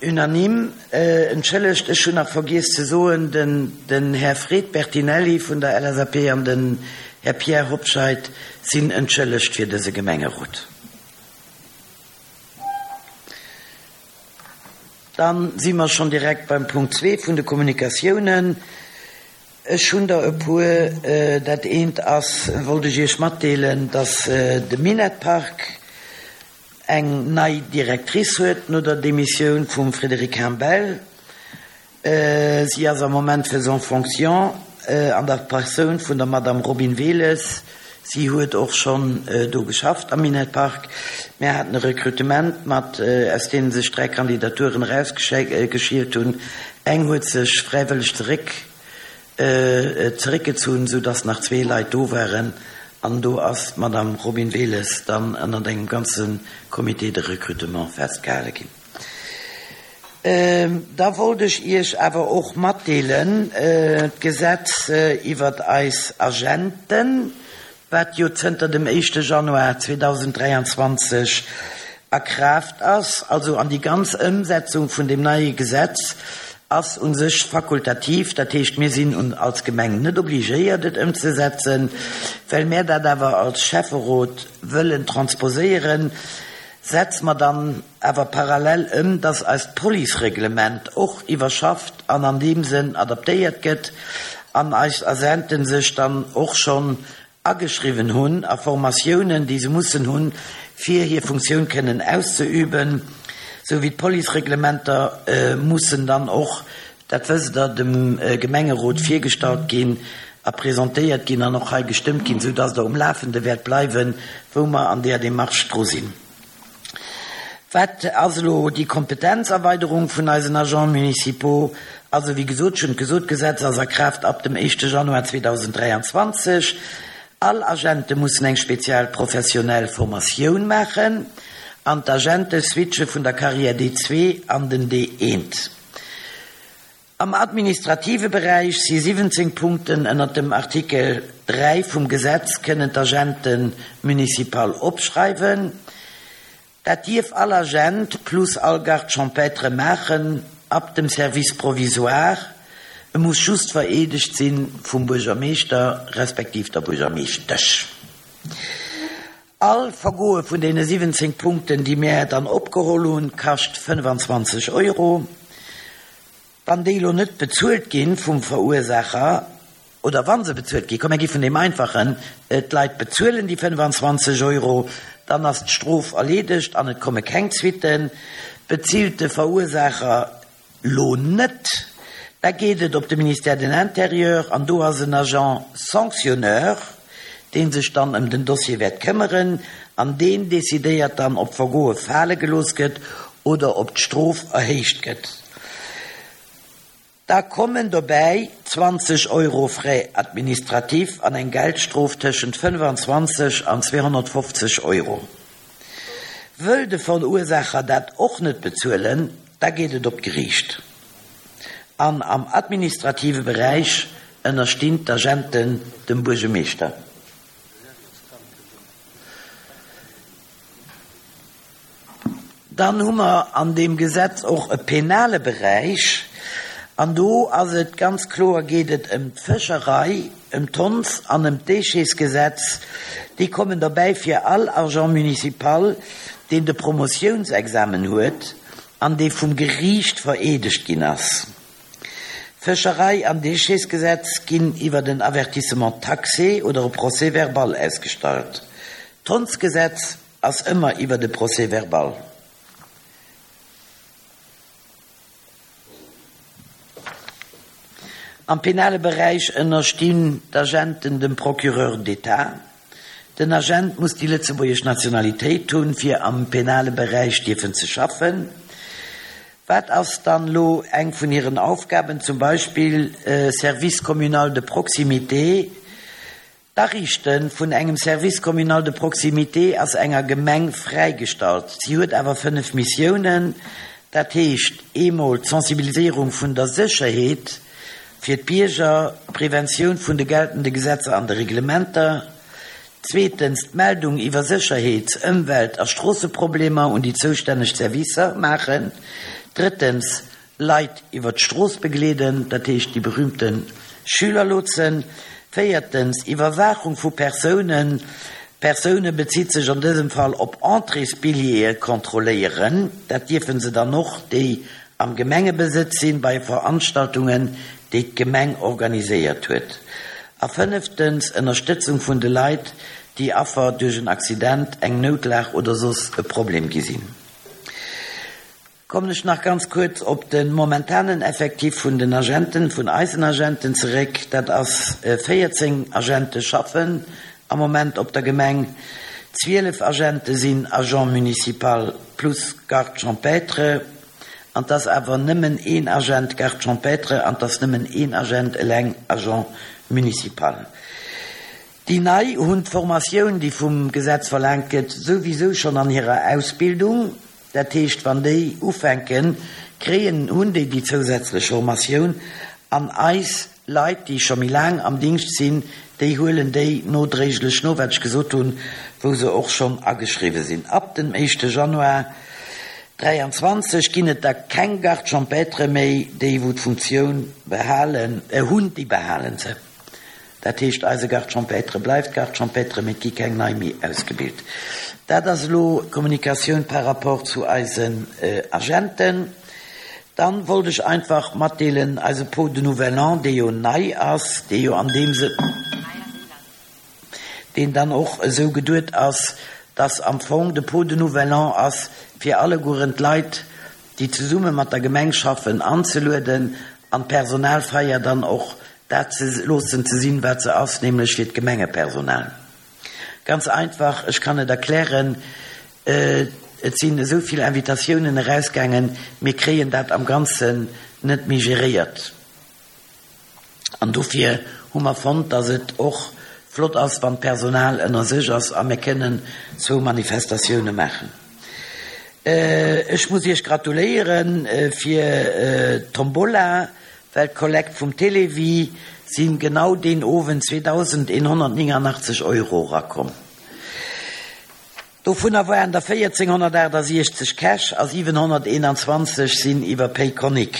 Unanime. Entschëllegt, ech hunn nach vergiess ze soen, den Här Fred Bertinelli vun der LSAP an den Här Pierre Hobscheit sinn entschëllegt fir dëse Gemengerot. Dann si mer schonn direkt beim Punkt zwee vun de Kommunikatiounen. Ech hunn der e puer. Dat eent ass, wollt ech Iech matdeelen, dass de Minett-Park eng nei Directrice huet no der Demissioun vum Frédéric Humbel. Si ass am Moment faisant fonction an der Persoun vun der Madame Robine Wehles. Si huet och schonn do geschafft am Minett Park. Mär haten e Recrutement mat, aus deene sech 3 Kandidaturen erausgeschielt hunn. Eng huet sech fräiwëlleg zeréck zeréckgezunn, sou dass nach zwee Leit do waren an do ass d'Madame Robine Wehles dann ënnert engem ganze Comité de recrutement festgehale ginn. Da wollt ech Iech awer och matdeelen, d'Gesetz iwwert eis Agenten, wat jo zënter dem éischte Januar 2023 a Kraaft ass, also an déi ganz Ëmsetzung vun deem neie Gesetz ass u sech fakultativ, dat heescht, mir sinn als Gemeng net obligéiert et ëmzesetzen, well mär dat awer als Schäfferot wëllen transposéieren, setze mer dann awer parallel ëm, dass eist Policereglement och iwwerschafft an an deem Sënn adaptéiert gëtt an eis Agenten sech dann och schonn ageschriwwen hunn a Formatiounen, déi se mussen hunn, fir hir Funktioun kënnen auszeüben, sou wéi d'Policereglementer mussen dann och, dat wësst Der, dem Gemengerot virgestallt ginn a presentéiert ginn an och hei gestëmmt ginn, sou dass Der um Lafende wäert bleiwen, wou mer an där Démarche dru sinn. Wat ass elo déi Kompetenzerweiderung vun eisen Agents municipaux? Also, wéi gesot, ech hunn et gesot, d'Gesetz ass a Kraaft ab dem éischte Januar 2023. All Agente mussen eng spezial professionell Formatioun maachen an d'Agente switche vun der Carrière D2 an den D1. Am administrative Beräich si 17 Punkten ënnert dem Artikel 3 vum Gesetz kënnen d'Agente municipal opschreiwen. Dat dierf all Agent plus all Garde champêtre maachen, ab dem Service provisoire. E muss just vereedegt si vum Buergermeeschter respektiv der Buergermeeschtesch. All Vergoe vun deene 17 Punkten, déi mär dann opgeholl hunn, kascht 25 Euro. Wann déi elo net bezuelt gi vum Verursaacher, oder wa se bezuelt ginn, komm mär gi vun deem Einfachen, d'Leit bezuelen déi 25 Euro, dann ass d'Strof erleedegt an et komme keng Suitten. Bezilt de Verursaacher Lo net, da geet et op de Ministère de l'Intérieur an do ass en Agent sanctionneur, dee sech dann ëm den Dossier wäert këmmeren an deen decidéiert dann, ob d'Vergoe fale gelooss gëtt oder ob d'Strof erhéicht gëtt. Da kommen dobäi 20 Euro Frais administratifs an eng Geldstrof tëschent 25 an 250 Euro. Wëll de Verursaacher dat och net bezuelen, da geet et op d'Geriicht. An am administrative Beräich ënnerstinn d'Agenten dem Buergemeeschter. Dann hu mer an deem Gesetz och e penale Beräich. An do ass et ganz kloer, geet et ëm d'Fëscherei, ëm d'Honds an ëm d'Déchetsgesetz. Déi kommen derbäi fir all Agent municipal, deen de Promotiounsexamen huet an dee vum Geriicht vereedegt ginn ass. Fëscherei an Déchetsgesetz ginn iwwert en Avertissement taxé oder e Procès-verbal ausgestallt. D'Hondsgesetz ass ëmmer iwwert e Procès-verbal. Am penale Beräich ënnerstinn d'Agenten dem Procureur d'État. Den Agent muss déi lëtzebuergesch Nationalitéit hunn, fir am penale Beräich dierfen ze schaffen. Wat ass dann elo eng vun hiren Aufgaben? Zum Beispill Service communal de proximité. D'Ariichte vun engem Service communal de proximité ass enger Gemeng fräigestallt. Si huet awer 5 Missiounen, dat heescht eemol d'Sensibiliséierung vun der Sécherheet fir d'Bierger, d'Preventioun vun de geltende Gesetzer an de Reglementer, zweetens d'Meldung iwwer Sécherheets-, Ëmwelt a Stroosseproblemer un déi zoustänneg Servicer maachen. Drëttens, Leit iwwer d'Strooss begleeden, dat heescht déi berühmte Schülerlotsen. Véiertens, Iwwerwaachung vu Persounen, Persoune bezitt sech an dësem Fall op Entréesbilljeeë kontrolléieren, dat dierfe se dann och, déi am Gemengebesëtz sinn, bei Veranstaltungen, déi d'Gemeng organiséiert huet. A fënneftens, Ënnerstëtzung vun de Leit, déi Affer duerch en Accident, eng Noutlag oder soss e Problem gi sinn. Kommen ech nach ganz kuerz op de momentanen Effectif vun den Agenten, vun eisen Agenten zeréck. Dat ass 14 Agente schaffen am Moment op der Gemeng. 12 Agente sinn Agent municipal plus Garde champêtre. An 't ass awer nëmmen een Agent Garde champêtre an 't ass nëmmen een Agent eleng Agent municipal. Déi Nei hunn d'Formatioun, déi vum Gesetz verlaangt gëtt, souwisou schonn an hirer Ausbildung. Dat heescht, wann déi ufänken, kréien, hunn déi déi zousätzlech Formatioun. An eis Leit, déi scho méi laang am Dingscht sinn, déi huelen déi nodréiglech no, wat ech gesot hunn, wou se och schonn ageschriwwen sinn. Ab dem éischte Januar 23 ginn et da keng Gardes champêtres méi. Déi, wou d'Funktioun behalen hunn, déi behale se. Dat heescht, eise Garde champêtre bleift Garde champêtre, mee et gi keng nei méi ausgebilt. Dat ass elo d'Kommunikatioun par rapport zu eisen Agenten. Dann wollt ech einfach matdeelen, eise Pot de Nouvel An, dee jo nei ass, dee jo an deem Sënn, deen dann och esou geduet ass, dass am Fong de Pot de Nouvel An ass, fir allegueren d'Leit, déi zesumme mat der Gemeng schaffen, anzelueden an d'Personalfeier dann och dat ze loossen ze sinn, wat se ass, nämlech fir d'Gemengepersonal. Ganz einfach, ech kann et erklären, Et sinn esou vill Invitatiounen erausgaangen, mir kréien dat am Ganzen net méi geréiert. An dofir hu mer fonnt, dass et och flott ass, wann d'Personal ënner sech ass a mir kënnen zwou Manifestatioune maachen. Ech muss Iech gratuléiere fir d'Tombola, well d'Kollekt vum Télévie si genau deen Owend 2.189 Euro erakomm. Dovunner waren der 1.468 Cash a 721 sinn iwwer Payconiq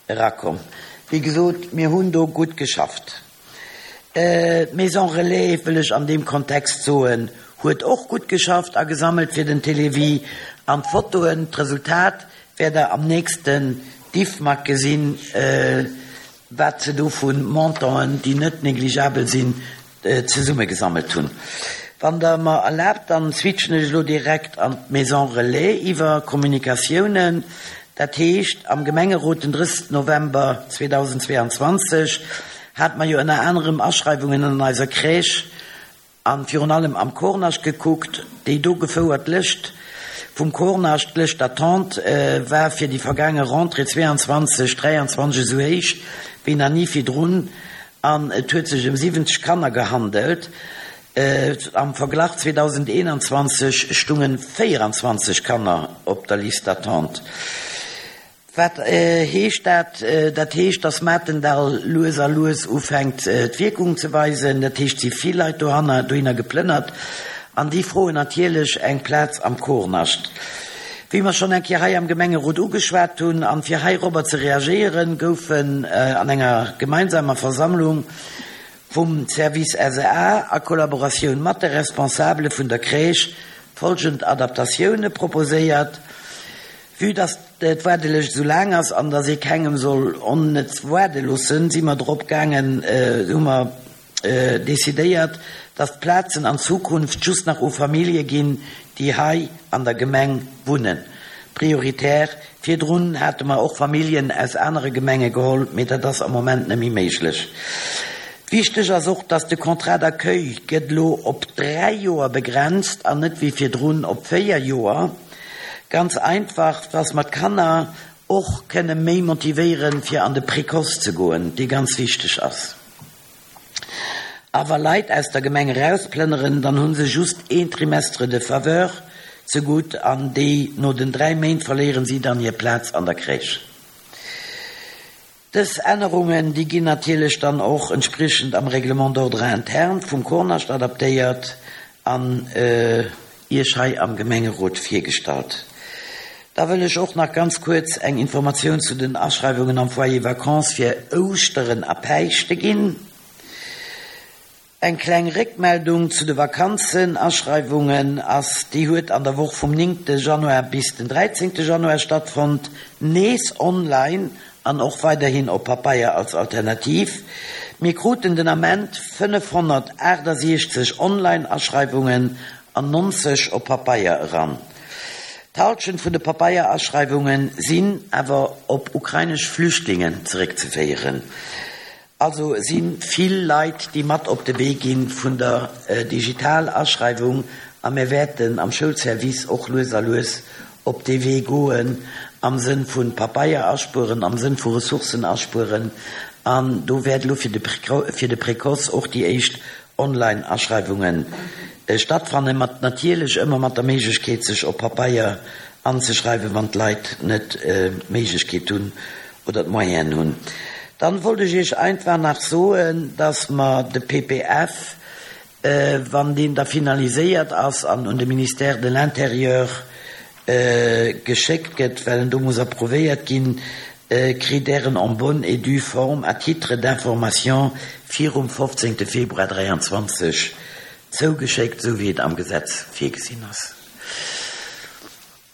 erakomm. Wéi gesot, mir hunn do gutt geschafft. D'Maison Relais, wëll ech an deem Kontext soen, huet och gutt geschafft a gesammelt fir den Télévie. An d'Fotoen, d'Resultat wäert Der am nächsten Diffmag gesinn, wat se do vu Montanten, déi net négligeabel sinn, zesummegesammelt hunn. Wann Der mer erlaabt, dann switchen ech elo direkt an d'Maison Relais iwwer, Kommunikatiounen. Dat heescht, am Gemengerot den 30 November 2022 hate mer jo ënner anerem Aschreiwungen an eiser Crèche a virun allem am Kornascht gekuckt. Déi do gefouert Lëscht vum Kornascht, d'Lëscht d'attente, war fir déi vergaange Rentrée 22, 23 esou héich wéi nach ni virdrun. An et huet sech ëm 70 Kanner gehandelt. Am Verglach, 2021 stungen 24 Kanner op der Liste d'attente. Wat heescht dat? Dat heescht, dass Matendall lues a lues ufänkt d'Wierkung ze weisen. Dat heescht, et si vill Leit dohanner, dohinner geplënnert an déi froen natierlech eng Plaz am Kornascht. Wéi mer schonn eng Kéier hei am Gemengerot ugeschwat hunn, an fir heirobber ze reagéieren, goufen an enger gemeinsamer Versammlung vum Service SEA a Kollaboratioun mat de Responsabele vun der Crèche folgend Adaptatioune proposéiert, Vue dass d'Waardelëscht esou laang ass an dass ee kengem soll onnëtz waarde loossen, si mer drop gaangen, hu mer decidéiert, dass d'Plazen an Zukunft just nach u Famillje ginn, déi hei an der Gemeng wunnen. Prioritär. Virdrun hate mer och Familljen aus anere Gemenge geholl, mee dat ass am Moment net méi méiglech. Wichteg ass och, dass de Contrat d'accueil gëtt elo op 3 Joer begrenzt an net wéi virdrun op 4 Joer. Ganz einfach, dass mer d'Kanner och kënne méi motivéieren, fir an de Précoce ze goen, dee ganz wichteg ass. A wa Leit aus der Gemeng erausplënneren, dann hu se just een Trimestre de faveur zegutt an déi no den 3 Méint verléieren si dann hir Plaz an der Crèche. Dës Ännerungen, déi ginn natierlech dann och entspriechend am Règlement d'ordre interne vum Kornascht adaptéiert an Iech hei am Gemengerot virgestallt. Da wëll ech och nach ganz kuerz eng Informatioun zu den Aschreiwungen am Foyer Vacances fir Ouschteren a Päischte ginn. Eng kleng Réckmeldung zu de Vakanzenaschreiwungen ass, déi huet an der Woch vum 9 Januar bis den 13 Januar stattfonnt, nees online an och weiderhin op Papeier als Alternativ. Mir kruten den Ament 568 Online-Aschreiwungen an 90 op Papeier eran. D'Halschent vun de Papeieraschreiwunge sinn awer op ukrainesch Flüchtlingen zeréckzeféieren. Also si vill Leit, déi mat op de Wee gi vun der Digital-Aschreiwung a mir wäerten am Schoulservice och lues a lues op dee Wee goen am Sënn vu Papeier aspueren, am Sënn vu Ressourcen aspueren. An do wäert elo fir de Précoce och déi éischt Online-Aschreiwunge stattfannen, mat natierlech ëmmer mat der Méiglechkeet sech op Papeier anzeschreiwen, wann d'Leit net d'Méiglechkeet hunn oder d'Moyenen hunn. Dann wollt ech Iech einfach nach soen, dass mer de PPF, wann deen da finaliséiert ass an un de Ministère de l'Intérieur geschéckt gëtt, well en do muss approuvéiert ginn, kritt Der en en bonne et due forme à titre d'information virum 15. Februar 23 zougeschéckt, esou wéi et am Gesetz virgesinn ass.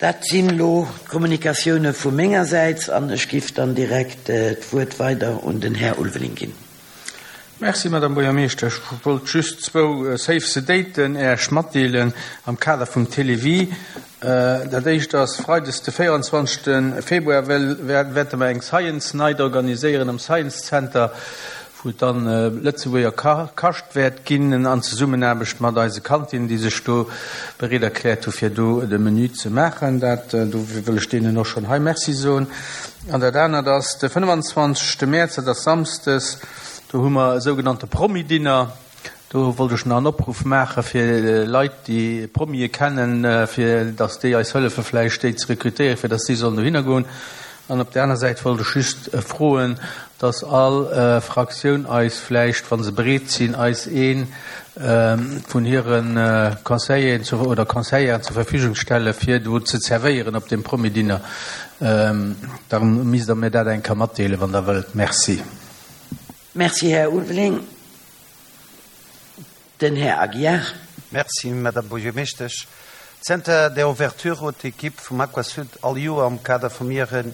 Dat sinn elo d'Kommunikatioune vu mengersäits an ech giff dann direkt d'Wuert weider un den Här Ulveling ginn. Merci, Madame Buergermeeschter. Ech wollt just zwou Save the Daten Äech matdeelen am Kader vum Télévie. Dat éischt ass, Freides de 24. Februar wäerte mer eng Science Night organiséieren am Science Center, wou et dann Lëtzebuerger Kascht wäert ginn an Zesummenaarbecht mat eise Kantinnen, déi sech do bereet erkläert hu fir do de Menü ze maachen. Dat, do wëll ech deenen och schonn hei Merci soen. An dat anert ass de 25. Mäerz, dat ass samsdes, do hu mer e sougenannte Promi-Dinner. Do wollt ech nach en Opruff maache fir Leit, déi Promie kennen, fir datt déi eis hëllefe vläicht déi ze rekrutéieren, fir datt déi sollen dohinner goen. An op där aner Säit wollt ech just froen, datt all Fraktioun eis vläicht, wa se bereet sinn, eis ee vun hire Conseilleren oder Conseilleren zur Verfügung stelle fir do ze zerwéieren op deem Promi-Dinner. Da misst Der mir dat eng Kéier matdeelen, wann Der wëllt. Merci. Merci, Här Ulveling. Den Här Aguiar. Merci, Madame Buergermeeschtesch. Zënter der Ouverture huet d'Ekipp vum Aquasud all Joer am Kader vum hiren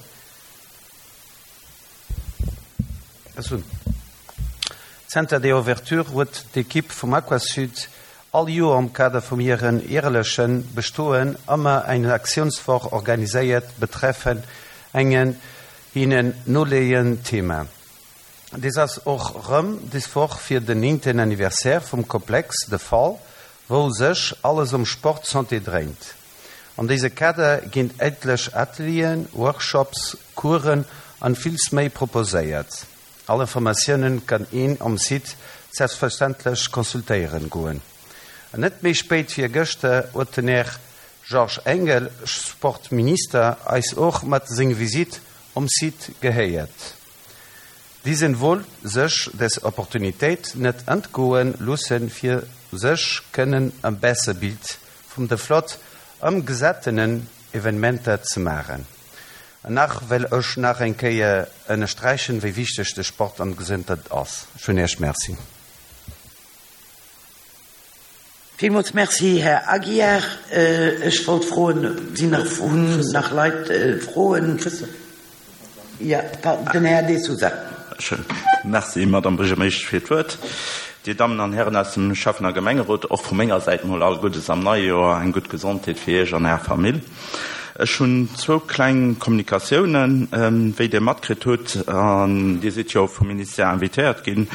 Zënter der Ouverture huet d'Ekipp vum Aquasud all Joer am Kader vum hiren järeleche Bestoen ëmmer eng Aktiounswoch organiséiert betreffend engen hinnen noleeënd Thema. Des ass och rëm des Woch fir den néngten Anniversaire vum Komplex de Fall, wou sech alles ëm Sport Santé dréint. An dëse Kader ginn etlech Atelieren, Workshops, Coursen an villes méi proposéiert. All Informatiounen kann een um Site selbstverständlech consultéieren goen. An net méi spéit wéi gëschter huet den Här Georges Engel, Sportminister, eis och mat seng Visite um Site gehéiert. Diesen wollt sech des Opportunitéit net entgoen loossen fir sech kënnen e besser Bild vum de flott ëmgesattenen Evenementer ze maachen. An nach well ech nach eng Kéier ënnersträichen wéi wichteg de Sport an d'Gesondheet ass. Ech hunn Iech Merci. Villmools Merci, Här Aguiar. Ech wollt froen, sinn nach, hunn nach Leit Froen? Jo, den Här De Sousa. Merci, Madame Buergermeeschtesch, fir d'Wuert. Dir Dammen an Hären aus dem Schäffen a Gemengerot, och vu menger Säit mol all Guddes am neie Joer, eng gutt Gesondheet fir Iech an Är Famill. Ech hunn zwou kleng Kommunikatiounen. Wéi Dir matkritt hutt, an Dir sidd jo vum Ministère invitéiert ginn,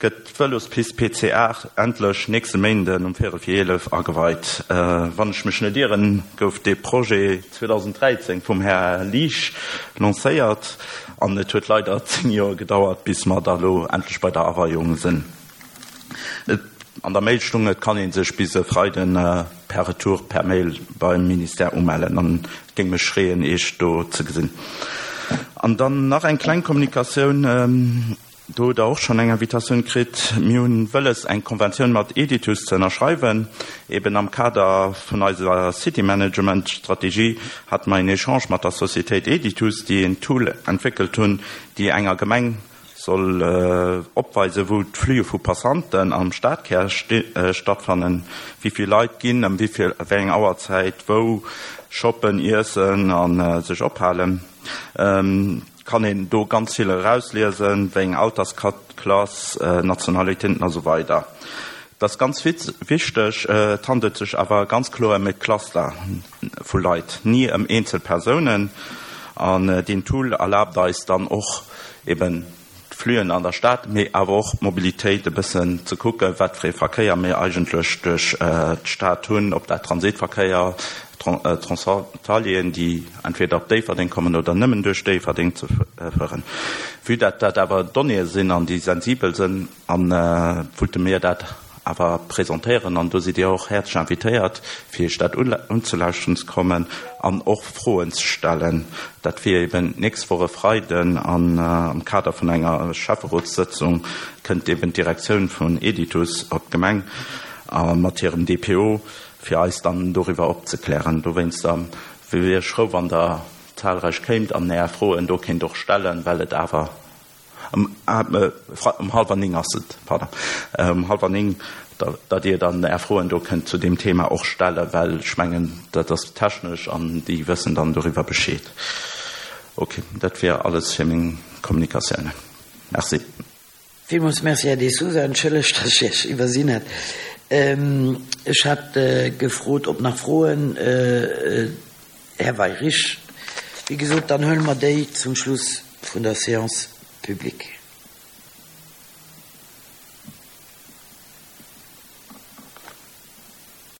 Gëtt d'Vëlospist PC 8 endlech nächste Méinden um véierel vir 11 ageweit? Wann ech mech net ieren, gouf dee Projet 2013 vum Här Liesch lancéiert an et huet leider 10 Joer gedauert, bis mer da lo endlech bei der Aweiung sinn. An der Mail stung, et kann ee sech bis e Freiden per Retour per Mail beim Ministère umellen an et géing mech freeën, Iech do ze gesinn. An dann nach eng kleng Kommunikatioun. Do hutt Der och schonn eng Invitatioun kritt. Mir hunn wëlles, eng Konventioun mat Editus ze ënnerschreiwen. Eben am Kader vun eiser City-Management-Strategie hate mer een Echange mat der Societéit Editus, déi een Tool entwéckelt hunn, déi enger Gemeng soll opweisen, wou d'Flüe vu Passanten am Stadkär stattfannen, wéi vill Leit ginn, ëm wéi vill, wéi eng Auerzäit wou shoppen, iessen a sech ophalen. Kann een do ganz vill erausliesen, wéi eng Altersklass, Nationalitéiten a sou weider. Dat ass ganz wichteg. Et handelt sech awer ganz kloer ëm e Cluster vu Leit, ni ëm eenzel Persounen. An deen Tool erlaabt eis dann och eben d'Flüen an der Stad, mee awer och d'Mobilitéit e bëssen ze kucken, wat fir ee Verkéier mir eigentlech duerch d'Stad hunn, ob dat Transitverkéier, Transfrontalieren, déi entweder op Déifferdeng kommen oder nëmmen duerch Déifferdeng ze fueren. Vue dat dat awer Donnéeë sinn an déi sensibel sinn, wollte mir dat awer presentéieren an do sidd Dir och häerzlech invitéiert, fir Iech dat unzelauschteren ze kommen an och Froen ze stellen. Dat wier eben d'nächst Woch e Freiden an am Kader vun enger Schäfferotssëtzung kënnt eben d'Direktioun vun Editus op d'Gemeng a mat hirem DPO fir eis dann doriwwer opzeklären. Dowéinster wier ech frou, wann Der zahlreich kéimt an Är Froen do kéint och stellen, well et awer um hallwer 9 ass et, pardon, um hallwer 9, datt Dir dann Är Froen do kënnt zu deem Thema och stellen, well ech mengen, dat ass technesch an déi wëssen dann doriwwer Bescheed. Okay, dat wier alles fir meng Kommunikatiounen. Merci. Villmools Merci, Här De Sousa. Entschëllegt, dass ech Iech iwwersinn hat. Ech hat gefrot, ob nach Froen. Här Weyrich, wéi gesot, dann huele mer déi zum Schluss vun der Séance publique.